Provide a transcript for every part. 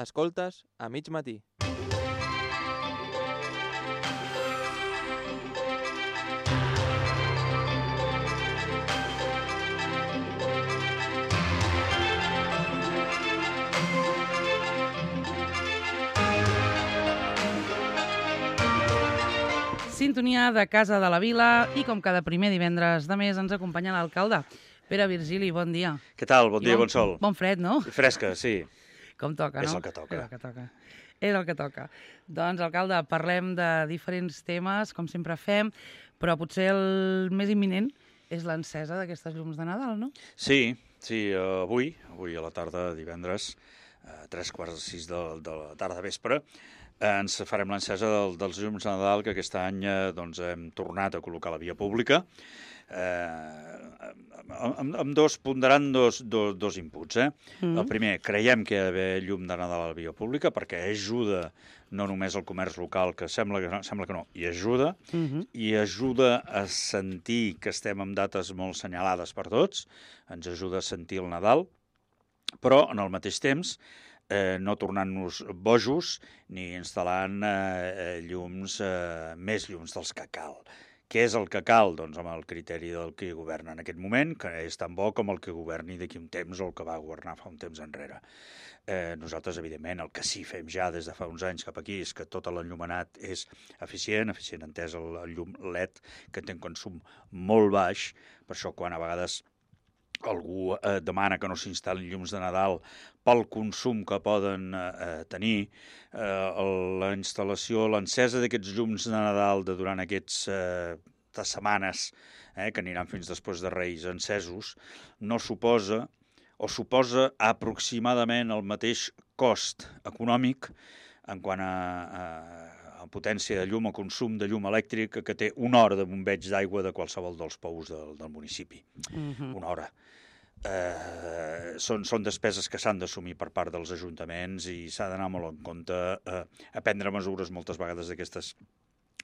Escoltes a mig matí. Sintonia de Casa de la Vila i com cada primer divendres de mes ens acompanya l'alcalde. Pere Virgili, bon dia. Què tal? Bon dia, bon sol. Bon fred, no? Fresca, sí. Com toca, no? És el que toca. És el que toca. És el que toca. Doncs, alcalde, parlem de diferents temes, com sempre fem, però potser el més imminent és l'encesa d'aquestes llums de Nadal, no? Sí, avui a la tarda, divendres, a 3:45 de la tarda vespre, ens farem l'encesa dels llums de Nadal que aquest any hem tornat a col·locar a la via pública. Ponderant dos inputs. El primer, creiem que hi ha d'haver llum de Nadal a la via pública perquè ajuda no només al comerç local, que sembla que no, i ajuda a sentir que estem en dates molt senyalades per tots, ens ajuda a sentir el Nadal, però en el mateix temps no tornant-nos bojos ni instal·lant més llums dels que cal. Què és el que cal? Doncs amb el criteri del que governa en aquest moment, que és tan bo com el que governi d'aquí un temps o el que va governar fa un temps enrere. Nosaltres, evidentment, el que sí fem ja des de fa uns anys cap aquí és que tot l'enllumenat és eficient entès el llum LED, que té un consum molt baix, per això quan a vegades algú demana que no s'instal·lin llums de Nadal pel consum que poden tenir, la instal·lació, l'encesa d'aquests llums de Nadal durant aquestes setmanes, que aniran fins després de Reis encesos, no suposa o suposa aproximadament el mateix cost econòmic en quant a potència de llum o consum de llum elèctrica que té una hora de bombeig d'aigua de qualsevol dels pous del municipi. Una hora. Són despeses que s'han d'assumir per part dels ajuntaments i s'ha d'anar molt en compte a prendre mesures moltes vegades d'aquestes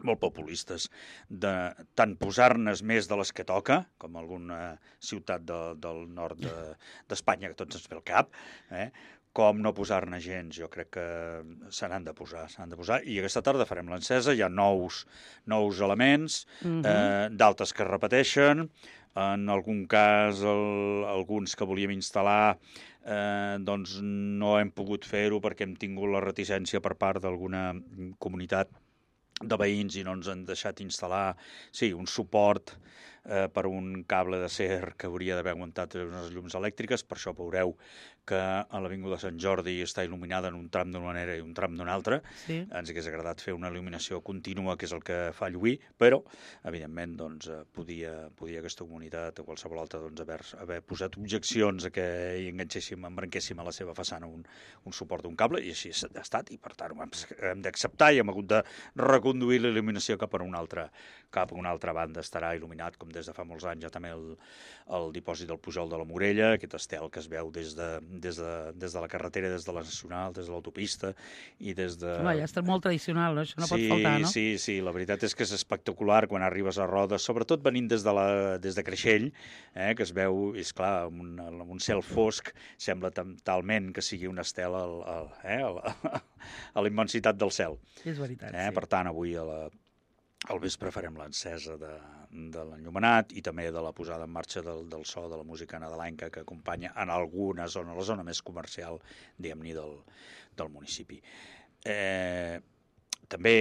molt populistes, de tant posar-nes més de les que toca, com alguna ciutat del nord d'Espanya, que tots ens ve al cap, com no posar-ne gens. Jo crec que se n'han de posar. I aquesta tarda farem l'encesa, hi ha nous elements, d'altres que es repeteixen, en algun cas alguns que volíem instal·lar doncs no hem pogut fer-ho perquè hem tingut la reticència per part d'alguna comunitat de veïns i no ens han deixat instal·lar, sí, un suport per un cable d'acer que hauria d'haver aguantat unes llums elèctriques. Per això veureu que a l'Avinguda Sant Jordi està il·luminada en un tram d'una manera i un tram d'una altra. Sí. Ens hagués agradat fer una il·luminació contínua, que és el que fa lluir, però, evidentment, doncs, podia aquesta comunitat o qualsevol altra haver posat objeccions a que hi embranquéssim a la seva façana un suport d'un cable, i així ha estat, i per tant hem d'acceptar i hem hagut de reconduir la il·luminació cap a una altra banda. Estarà il·luminat, com des de fa molts anys, ja també el dipòsit del Pujol de la Morella, aquest estel que es veu des de la carretera, des de la Nacional, des de l'autopista i des de... Ja està molt tradicional, no? Això no pot faltar, no? Sí, la veritat és que és espectacular quan arribes a Rodes, sobretot venint des de Creixell, que es veu, és clar, amb un cel fosc, sembla talment que sigui un estel a la immensitat del cel. És veritat, sí. Per tant, avui al vespre farem l'encesa de l'enllumenat i també de la posada en marxa del so de la música nadalenca que acompanya en alguna zona, la zona més comercial, diguem-ne, del municipi. També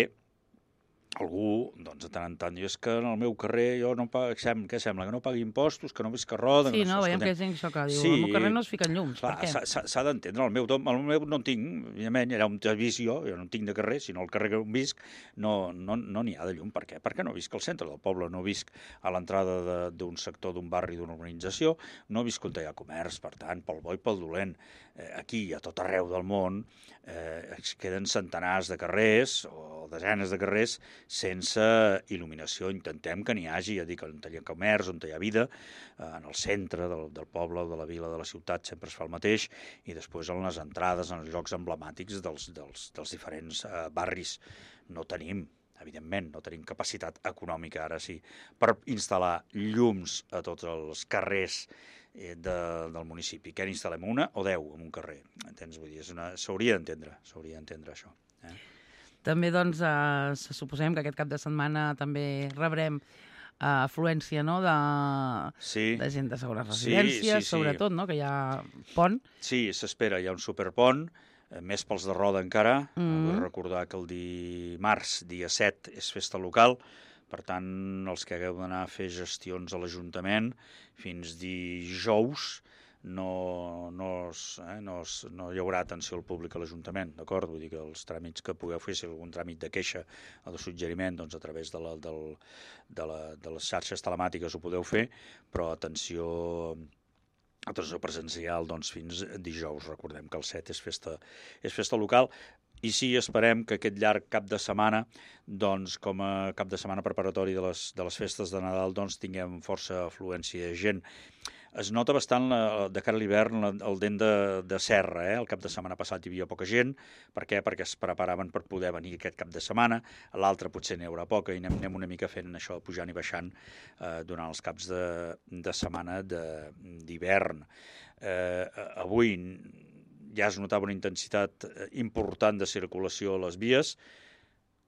algú, doncs, de tant en tant, és que en el meu carrer jo no pago, què sembla, que no pagui impostos, que no visc a Roda... Sí, no, veiem que hi ha gent que diu, al meu carrer no es fiquen llums, per què? S'ha d'entendre, el meu no en tinc, evidentment, era un visió, jo no en tinc de carrer, sinó el carrer que on visc no n'hi ha de llum. Per què? Perquè no visc al centre del poble, no visc a l'entrada d'un sector, d'un barri, d'una urbanització, no visc on hi ha comerç, per tant, pel bo i pel dolent. Aquí, a tot arreu del món, es queden centenars de carrers o desenes de carrers sense il·luminació. Intentem que n'hi hagi, ja dic, on hi ha comerç, on hi ha vida, en el centre del poble, de la vila, de la ciutat, sempre es fa el mateix, i després en les entrades, en els llocs emblemàtics dels diferents barris. No tenim, evidentment, no tenim capacitat econòmica, ara sí, per instal·lar llums a tots els carrers del municipi. Què n'instal·lem, una o 10 en un carrer? Entens? Vull dir, s'hauria d'entendre això. També, doncs, suposem que aquest cap de setmana també rebrem afluència, no?, de gent de segones residències, sobretot, no?, que hi ha pont. Sí, s'espera, hi ha un superpont, més pels de Roda encara. Vull recordar que el dimarts, dia 7, és festa local, per tant, els que hagueu d'anar a fer gestions a l'Ajuntament, fins dijous no hi haurà atenció al públic a l'Ajuntament, d'acord? Vull dir que els tràmits que pugueu fer, si algun tràmit de queixa o de suggeriment, doncs a través de les xarxes telemàtiques ho podeu fer, però atenció presencial doncs, fins dijous. Recordem que el 7 és festa local. I sí, esperem que aquest llarg cap de setmana, doncs, com a cap de setmana preparatori de les festes de Nadal, doncs, tinguem força afluència de gent. Es nota bastant de cara a l'hivern el dent de serra. El cap de setmana passat hi havia poca gent. Per què? Perquè es preparaven per poder venir aquest cap de setmana. L'altre potser n'hi haurà poca i anem una mica fent això, pujant i baixant durant els caps de setmana d'hivern. Avui ja es notava una intensitat important de circulació a les vies,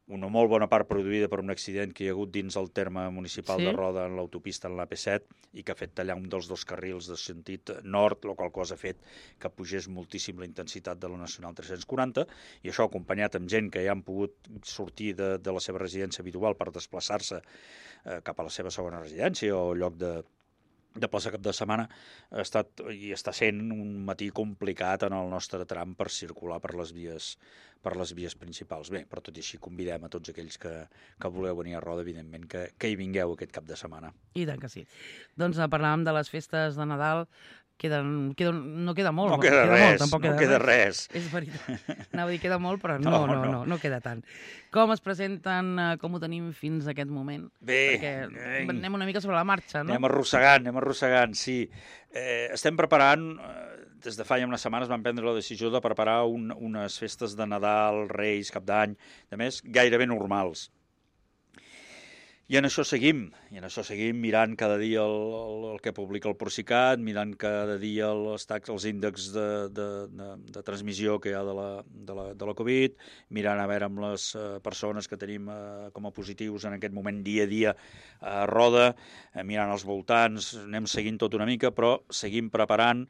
una molt bona part produïda per un accident que hi ha hagut dins el terme municipal de Roda en l'autopista en l'AP7 i que ha fet tallar un dels dos carrils de sentit nord, la qual cosa ha fet que pugés moltíssim la intensitat de la Nacional 340 i això acompanyat amb gent que ja han pogut sortir de la seva residència habitual per desplaçar-se cap a la seva segona residència o lloc de plaça cap de setmana, ha estat i està sent un matí complicat en el nostre tram per circular per les vies principals. Bé, però tot i així convidem a tots aquells que voleu venir a Roda, evidentment, que hi vingueu aquest cap de setmana. I tant que sí. Doncs parlàvem de les festes de Nadal, no queda molt. No queda res. És veritat. Anava a dir queda molt, però no queda tant. Com es presenten, com ho tenim fins a aquest moment? Bé. Perquè anem una mica sobre la marxa, no? Anem arrossegant, sí. Estem preparant, des de fa ja unes setmanes vam prendre la decisió de preparar unes festes de Nadal, Reis, Cap d'Any, a més, gairebé normals. I en això seguim mirant cada dia el que publica el Procicat, mirant cada dia els índexs de transmissió que hi ha de la Covid, mirant a veure amb les persones que tenim com a positius en aquest moment dia a dia a Roda, mirant als voltants, anem seguint tot una mica, però seguim preparant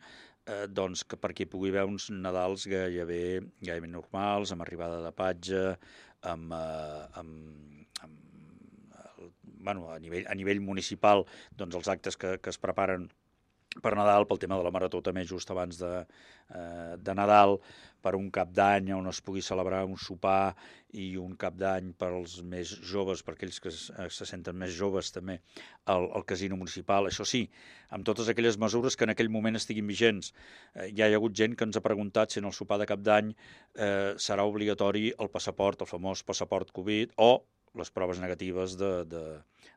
doncs, perquè hi pugui haver uns Nadals gairebé normals, amb arribada de patge, a nivell municipal, doncs els actes que es preparen per Nadal, pel tema de la Marató també just abans de Nadal, per un cap d'any on es pugui celebrar un sopar i un cap d'any per als més joves, per aquells que se senten més joves també, al casino municipal. Això sí, amb totes aquelles mesures que en aquell moment estiguin vigents. Ja hi ha hagut gent que ens ha preguntat si en el sopar de cap d'any serà obligatori el passaport, el famós passaport Covid, o les proves negatives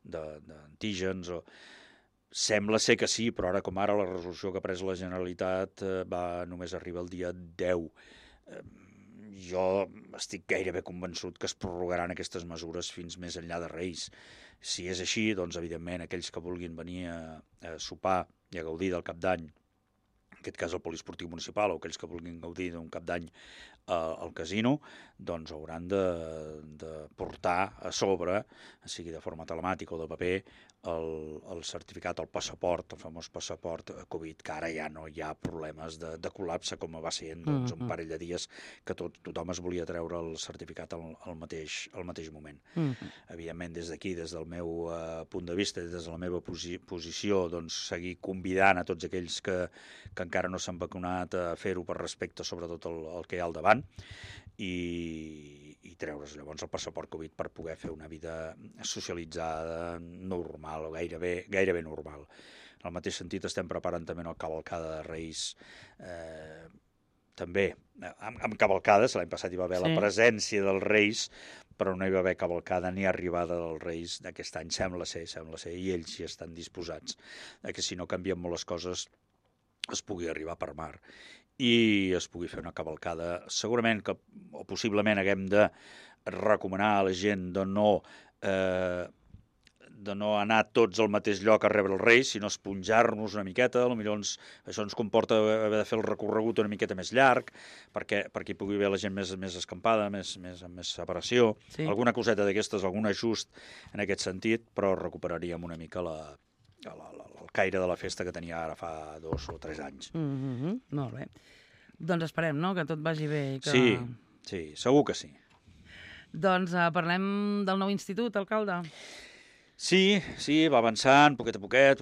d'antígens. Sembla ser que sí, però ara com ara la resolució que ha pres la Generalitat només arriba el dia 10. Jo estic gairebé convençut que es prorrogaran aquestes mesures fins més enllà de Reis. Si és així, doncs evidentment aquells que vulguin venir a sopar i a gaudir del cap d'any, en aquest cas el poliesportiu municipal, o aquells que vulguin gaudir d'un cap d'any al casino, doncs hauran de portar a sobre, sigui de forma telemàtica o de paper, el certificat, el passaport, el famós passaport Covid, que ara ja no hi ha problemes de col·lapse com va ser un parell de dies que tothom es volia treure el certificat al mateix moment. Evidentment, des d'aquí, des del meu punt de vista, des de la meva posició, doncs seguir convidant a tots aquells que encara no s'han vacunat a fer-ho per respecte sobretot al que hi ha al davant i treure's llavors el passaport Covid per poder fer una vida socialitzada normal o gairebé normal. En el mateix sentit estem preparant també una cavalcada de Reis també amb cavalcades. L'any passat hi va haver la presència dels Reis, però no hi va haver cavalcada ni arribada dels Reis d'aquest any. Sembla ser, i ells hi estan disposats, que si no canvien molt les coses es pugui arribar per mar i es pugui fer una cavalcada. Segurament que, o possiblement, haguem de recomanar a la gent de no anar tots al mateix lloc a rebre els Reis, sinó esponjar-nos una miqueta, potser això ens comporta haver de fer el recorregut una miqueta més llarg, perquè hi pugui haver la gent més escampada, amb més separació, alguna coseta d'aquestes, algun ajust en aquest sentit, però recuperaríem una mica el caire de la festa que tenia ara fa 2 o 3 anys. Molt bé. Doncs esperem, no?, que tot vagi bé. Sí, segur que sí. Doncs parlem del nou institut, alcalde. Sí, va avançant, poquet a poquet,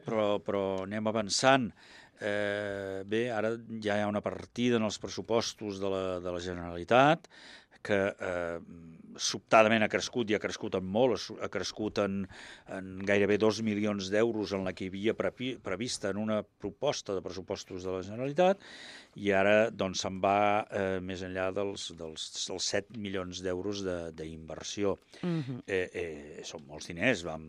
però anem avançant. Bé, ara ja hi ha una partida en els pressupostos de la Generalitat que sobtadament ha crescut, i ha crescut en molt, ha crescut en gairebé 2 milions d'euros en la que hi havia prevista en una proposta de pressupostos de la Generalitat, i ara doncs se'n va més enllà dels 7 milions d'euros d'inversió. Són molts diners, quan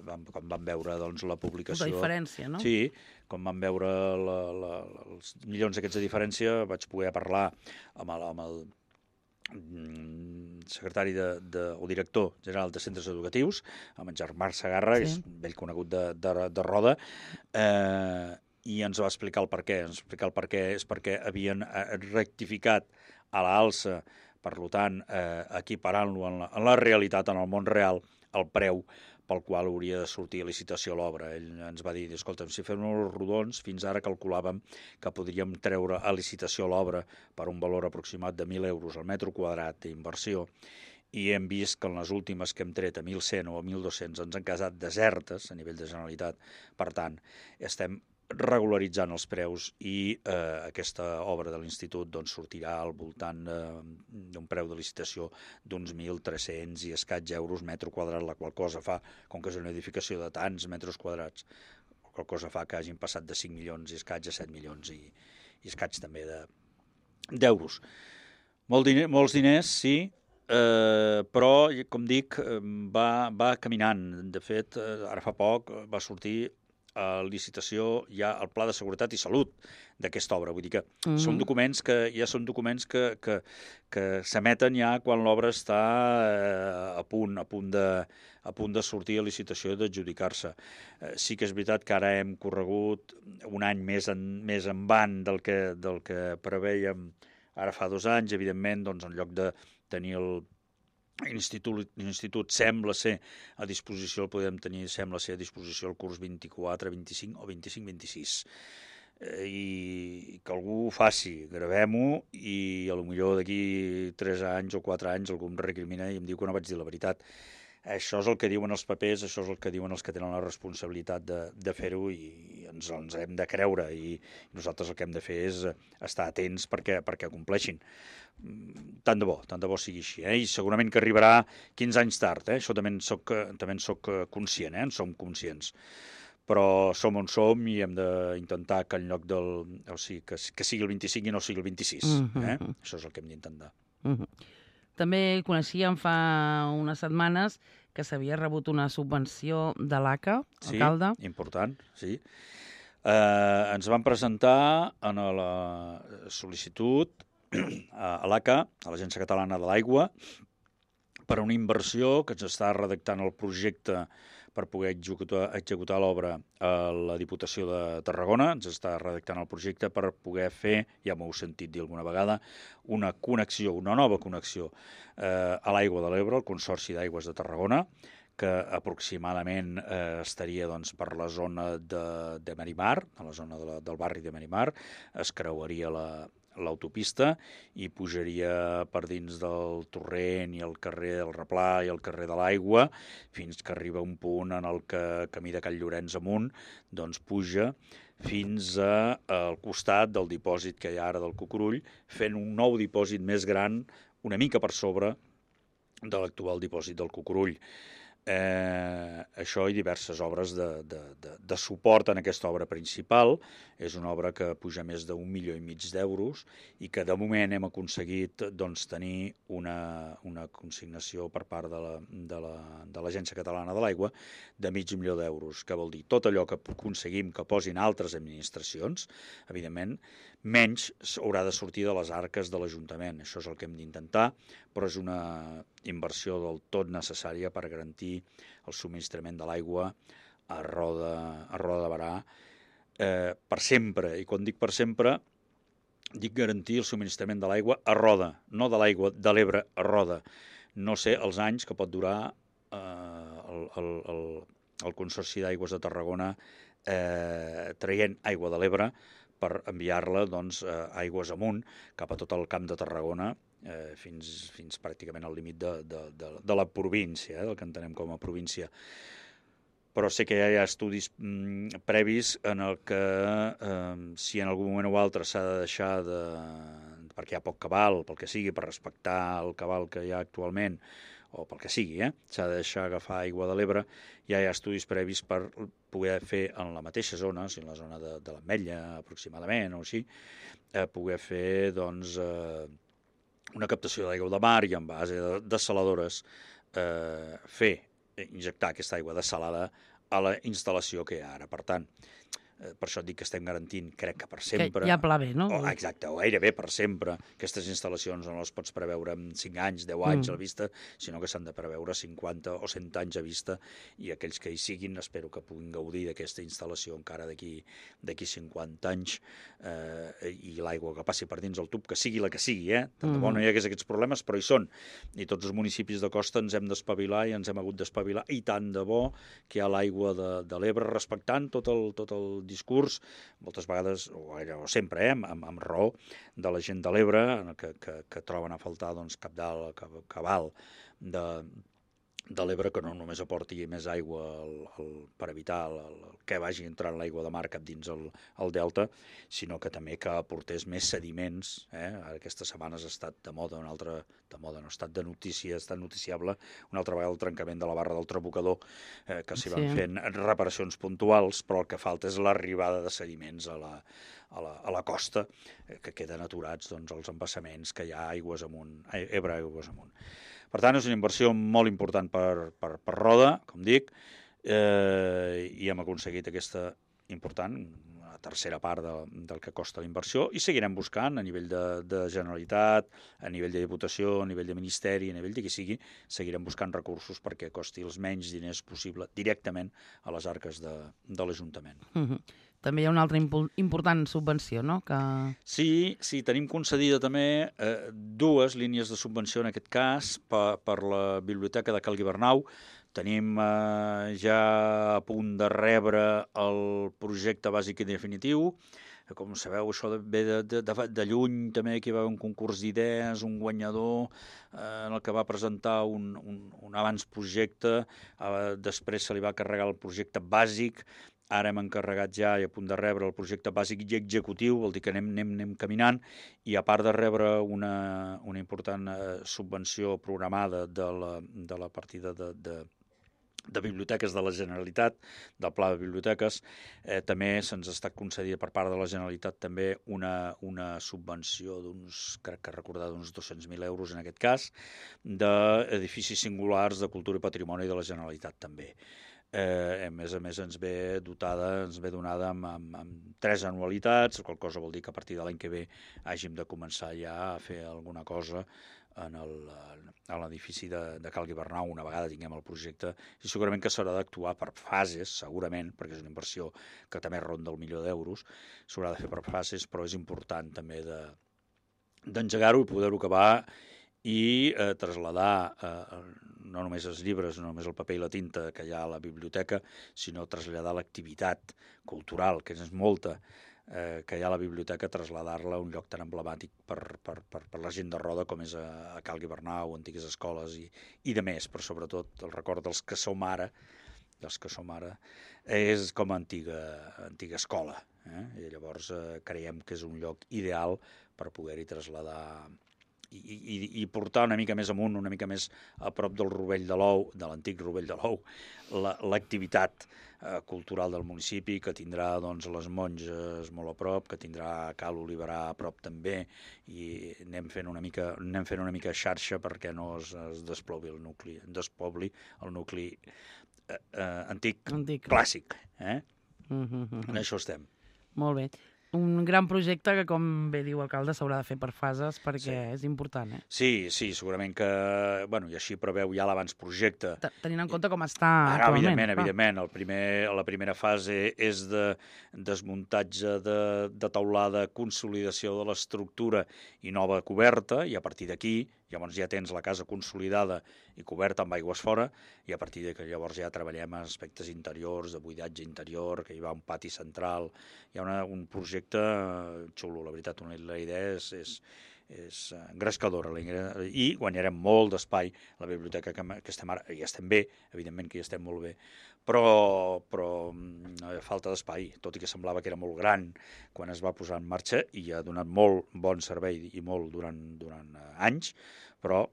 vam veure doncs, la publicació... La diferència, no? Sí, quan vam veure els milions aquests de diferència, vaig poder parlar amb el secretari o director general de centres educatius, amb en Germà Segarra, que és vell conegut de Roda, i ens va explicar el per què. Ens va explicar el per què és perquè havien rectificat a l'alça, per tant, equiparant-lo en la realitat, en el món real, el preu pel qual hauria de sortir a licitació l'obra. Ell ens va dir, escolta, si fem els rodons, fins ara calculàvem que podríem treure a licitació l'obra per un valor aproximat de 1.000 euros al metre quadrat d'inversió, i hem vist que en les últimes que hem tret a 1.100 o a 1.200 ens han quedat desertes a nivell de Generalitat. Per tant, estem regularitzant els preus, i aquesta obra de l'Institut doncs, sortirà al voltant d'un preu de licitació d'uns 1.300 i escaig euros metre quadrat, la qual cosa fa, com que és una edificació de tants metres quadrats, la qual cosa fa que hagin passat de 5 milions i escaig a 7 milions i escaig també d'euros. Molts diners, sí, però, com dic, va caminant. De fet, ara fa poc va sortir a licitació ja el Pla de Seguretat i Salut d'aquesta obra. Vull dir que són documents que s'emeten ja quan l'obra està a punt de sortir a licitació i d'adjudicar-se. Sí que és veritat que ara hem corregut un any més en del que prevèiem ara fa 2 anys. Evidentment, doncs, en lloc de tenir l'institut sembla ser a disposició, el podem tenir, sembla ser a disposició el curs 24-25 o 25-26. I que algú ho faci, gravem-ho, i potser d'aquí 3 anys o 4 anys algú em recrimina i em diu que no vaig dir la veritat. Això és el que diuen els papers, això és el que diuen els que tenen la responsabilitat de fer-ho, i ens hem de creure, i nosaltres el que hem de fer és estar atents perquè compleixin. Tant de bo sigui així, i segurament que arribarà 15 anys tard, això també en soc conscient, en som conscients, però som on som i hem d'intentar que en lloc que sigui el 25 i no sigui el 26, això és el que hem d'intentar. També coneixíem fa unes setmanes que s'havia rebut una subvenció de l'ACA, alcalde. Sí, important, sí. Ens van presentar en la sol·licitud a l'ACA, a l'Agència Catalana de l'Aigua, per una inversió que ens està redactant el projecte per poder executar l'obra a la Diputació de Tarragona. Ens està redactant el projecte per poder fer, ja m'ho heu sentit dir alguna vegada, una nova connexió a l'Aigua de l'Ebre, el Consorci d'Aigües de Tarragona, que aproximadament estaria per la zona de Merimar, a la zona del barri de Merimar, es creuaria l'autopista i pujaria per dins del Torrent i el carrer del Replà i el carrer de l'Aigua fins que arriba un punt en el que camí de Can Llorenç amunt doncs puja fins al costat del dipòsit que hi ha ara del Cucurull, fent un nou dipòsit més gran una mica per sobre de l'actual dipòsit del Cucurull. Això i diverses obres de suport en aquesta obra principal. És una obra que puja més d'1,5 milions d'euros i que de moment hem aconseguit tenir una consignació per part de l'Agència Catalana de l'Aigua de $500,000 d'euros, que vol dir tot allò que aconseguim que posin altres administracions, evidentment, menys haurà de sortir de les arques de l'Ajuntament. Això és el que hem d'intentar, però és una inversió del tot necessària per garantir el subministrament de l'aigua a Roda de Berà per sempre. I quan dic per sempre, dic garantir el subministrament de l'aigua a Roda, no de l'aigua de l'Ebre a Roda. No sé els anys que pot durar el Consorci d'Aigües de Tarragona traient aigua de l'Ebre per enviar-la aigües amunt cap a tot el camp de Tarragona fins pràcticament al límit de la província, del que entenem com a província. Però sé que ja hi ha estudis previs en el que si en algun moment o altre s'ha de deixar perquè hi ha poc cabal, pel que sigui, per respectar el cabal que hi ha actualment, o pel que sigui, s'ha de deixar agafar aigua de l'Ebre, ja hi ha estudis previs per poder fer en la mateixa zona, en la zona de l'Ametlla aproximadament o així, poder fer una captació d'aigua de mar i en base de dessaladores injectar aquesta aigua dessalada a la instal·lació que hi ha ara. Per tant, per això et dic que estem garantint, crec que per sempre... Que hi ha pla B, no? Exacte, o gairebé per sempre. Aquestes instal·lacions no les pots preveure en 5 anys, 10 anys a la vista, sinó que s'han de preveure 50 o 100 anys a vista, i aquells que hi siguin espero que puguin gaudir d'aquesta instal·lació encara d'aquí 50 anys, i l'aigua que passi per dins el tub, que sigui la que sigui, tant de bo no hi hagués aquests problemes, però hi són. I tots els municipis de costa ens hem d'espavilar i ens hem hagut d'espavilar, i tant de bo que hi ha l'aigua de l'Ebre, respectant tot el discurs, moltes vegades, o sempre, amb raó, de la gent de l'Ebre, que troben a faltar cabal de l'Ebre, que no només aporti més aigua per evitar que vagi entrant l'aigua de mar cap dins el delta, sinó que també que aportés més sediments. Aquestes setmanes ha estat de moda, no ha estat de notícia, ha estat noticiable una altra vegada el trencament de la barra del Trabocador, que s'hi van fent reparacions puntuals, però el que falta és l'arribada de sediments a la costa, que queden aturats els embassaments que hi ha aigües amunt, Ebre aigües amunt. Per tant, és una inversió molt important per Roda, com dic, i hem aconseguit aquesta important, la tercera part del que costa la inversió, i seguirem buscant a nivell de Generalitat, a nivell de Diputació, a nivell de Ministeri, a nivell de qui sigui, seguirem buscant recursos perquè costi els menys diners possible directament a les arques de l'Ajuntament. També hi ha una altra important subvenció, no? Sí, tenim concedida també 2 línies de subvenció, en aquest cas, per la Biblioteca de Cal Guibernau. Tenim ja a punt de rebre el projecte bàsic i definitiu. Com sabeu, això ve de lluny, també aquí va haver un concurs d'idees, un guanyador en el que va presentar un abans projecte, després se li va carregar el projecte bàsic. Ara hem encarregat ja i a punt de rebre el projecte bàsic i executiu, vol dir que anem caminant, i a part de rebre una important subvenció programada de la partida de biblioteques de la Generalitat, del Pla de Biblioteques, també se'ns ha estat concedida per part de la Generalitat també una subvenció crec que recordar, d'uns 200.000 euros en aquest cas, d'edificis singulars de cultura i patrimoni de la Generalitat també. A més ens ve donada amb 3 anualitats, qual cosa vol dir que a partir de l'any que ve hàgim de començar ja a fer alguna cosa a l'edifici de Cal Guibernau una vegada tinguem el projecte, i segurament que s'haurà d'actuar per fases, segurament, perquè és una inversió que també ronda el €1.000.000, s'haurà de fer per fases, però és important també d'engegar-ho i poder-ho acabar i traslladar no només els llibres, no només el paper i la tinta que hi ha a la biblioteca, sinó traslladar l'activitat cultural, que és molta, que hi ha a la biblioteca, traslladar-la a un lloc tan emblemàtic per la gent de Roda com és a Cal Guibernau, antigues escoles i de més, però sobretot el record dels que som ara, és com a antiga escola. I llavors creiem que és un lloc ideal per poder-hi traslladar i portar una mica més amunt, una mica més a prop del Rovell de l'Ou, de l'antic Rovell de l'Ou, l'activitat cultural del municipi, que tindrà les monges molt a prop, que tindrà Cal Oliverà a prop també, i anem fent una mica xarxa perquè no es despobli el nucli antic clàssic. En això estem. Molt bé. un gran projecte que, com bé diu l'alcalde, s'haurà de fer per fases perquè és important, Sí, segurament que... Bueno, i així preveu ja l'abans-projecte. Tenint en compte com està actualment. Evidentment. La primera fase és de desmuntatge de teulada, consolidació de l'estructura i nova coberta, i a partir d'aquí llavors ja tens la casa consolidada i coberta amb aigües fora, i a partir que llavors ja treballem aspectes interiors, de buidatge interior, que hi va un pati central. Hi ha un projecte xulo, la veritat. La idea és engrescadora i guanyarem molt d'espai. La biblioteca que estem ara, ja estem bé, evidentment que ja estem molt bé, però falta d'espai, tot i que semblava que era molt gran quan es va posar en marxa i ha donat molt bon servei i molt durant anys, però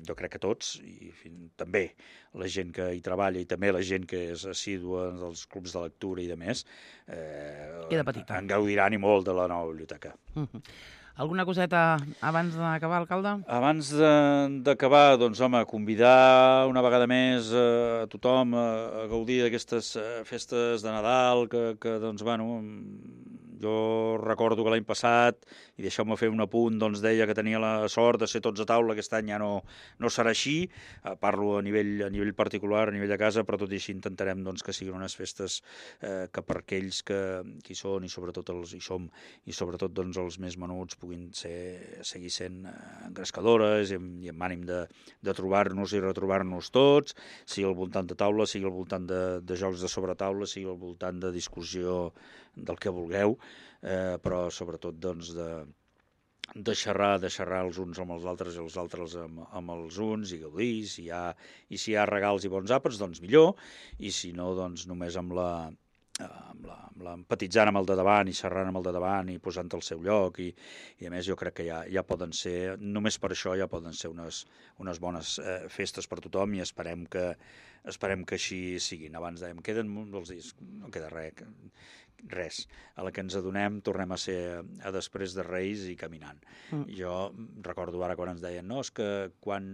jo crec que tots, i també la gent que hi treballa i també la gent que és assídua dels clubs de lectura i de més, en gaudiran i molt de la nova biblioteca. Alguna coseta abans d'acabar, alcalde? Abans d'acabar, doncs, home, convidar una vegada més a tothom a gaudir d'aquestes festes de Nadal, que doncs, bueno, jo recordo que l'any passat, i deixeu-me fer un apunt, doncs deia que tenia la sort de ser tots a taula, aquest any ja no serà així, parlo a nivell particular, a nivell de casa, però tot i així intentarem doncs, que siguin unes festes que per aquells que hi són i sobretot doncs, els més menuts puguin seguir sent engrescadores i amb ànim de trobar-nos i retrobar-nos tots, sigui al voltant de taula, sigui al voltant de jocs de sobretaula, sigui al voltant de discussió del que vulgueu, però sobretot doncs, de xerrar els uns amb els altres i els altres amb els uns i gaudir, si hi ha regals i bons àpats, doncs millor, i si no, doncs només amb empatitzant amb el de davant i xerrant amb el de davant i posant-te al seu lloc, i a més jo crec que ja poden ser, només per això ja poden ser unes bones festes per tothom, i esperem que així siguin. Abans dèiem, queden molts dies, no queda res. A la que ens adonem tornem a ser a després de Reis i caminant. Jo recordo ara quan ens deien, no, és que quan...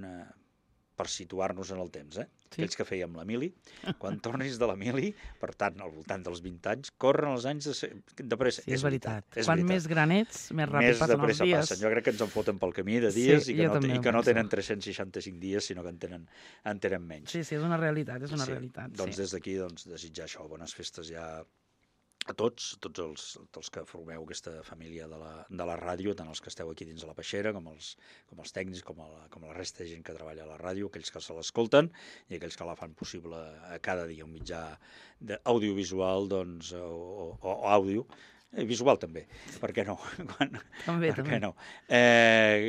per situar-nos en el temps, aquells que fèiem la mili, quan tornis de la mili, per tant, al voltant dels 20 anys, corren els anys de pressa. Sí, és veritat. Quan més gran ets, més ràpid passen els dies. Passen. Jo crec que ens en foten pel camí de dies i que no tenen 365 dies, sinó que en tenen menys. Sí, és una realitat, realitat. Doncs des d'aquí, desitjar això, bones festes ja a tots els que formeu aquesta família de la ràdio, tant els que esteu aquí dins de la peixera, com els tècnics, com la resta de gent que treballa a la ràdio, aquells que se l'escolten i aquells que la fan possible cada dia, un mitjà audiovisual o àudio, visual també, per què no? També. No?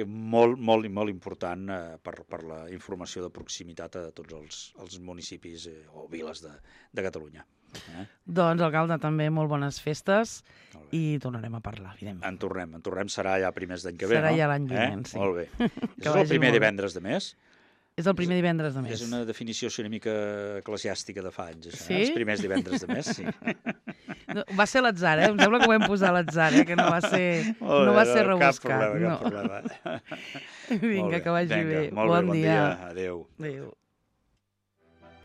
Molt important per la informació de proximitat a tots els municipis o viles de Catalunya. Doncs, alcalde, també molt bones festes i tornarem a parlar, evidentment. En tornem, serà ja primers d'any que ve, no? Serà ja l'any vinent, sí. Molt bé. És el primer divendres de mes? És el primer divendres de mes. És una definició una mica eclesiàstica de fa anys, això. Sí? Els primers divendres de mes, sí. Va ser a l'atzar, Em sembla que ho vam posar a l'atzar, que no va ser rebuscat. Cap problema. Vinga, que vagi bé. Bon dia. Adéu.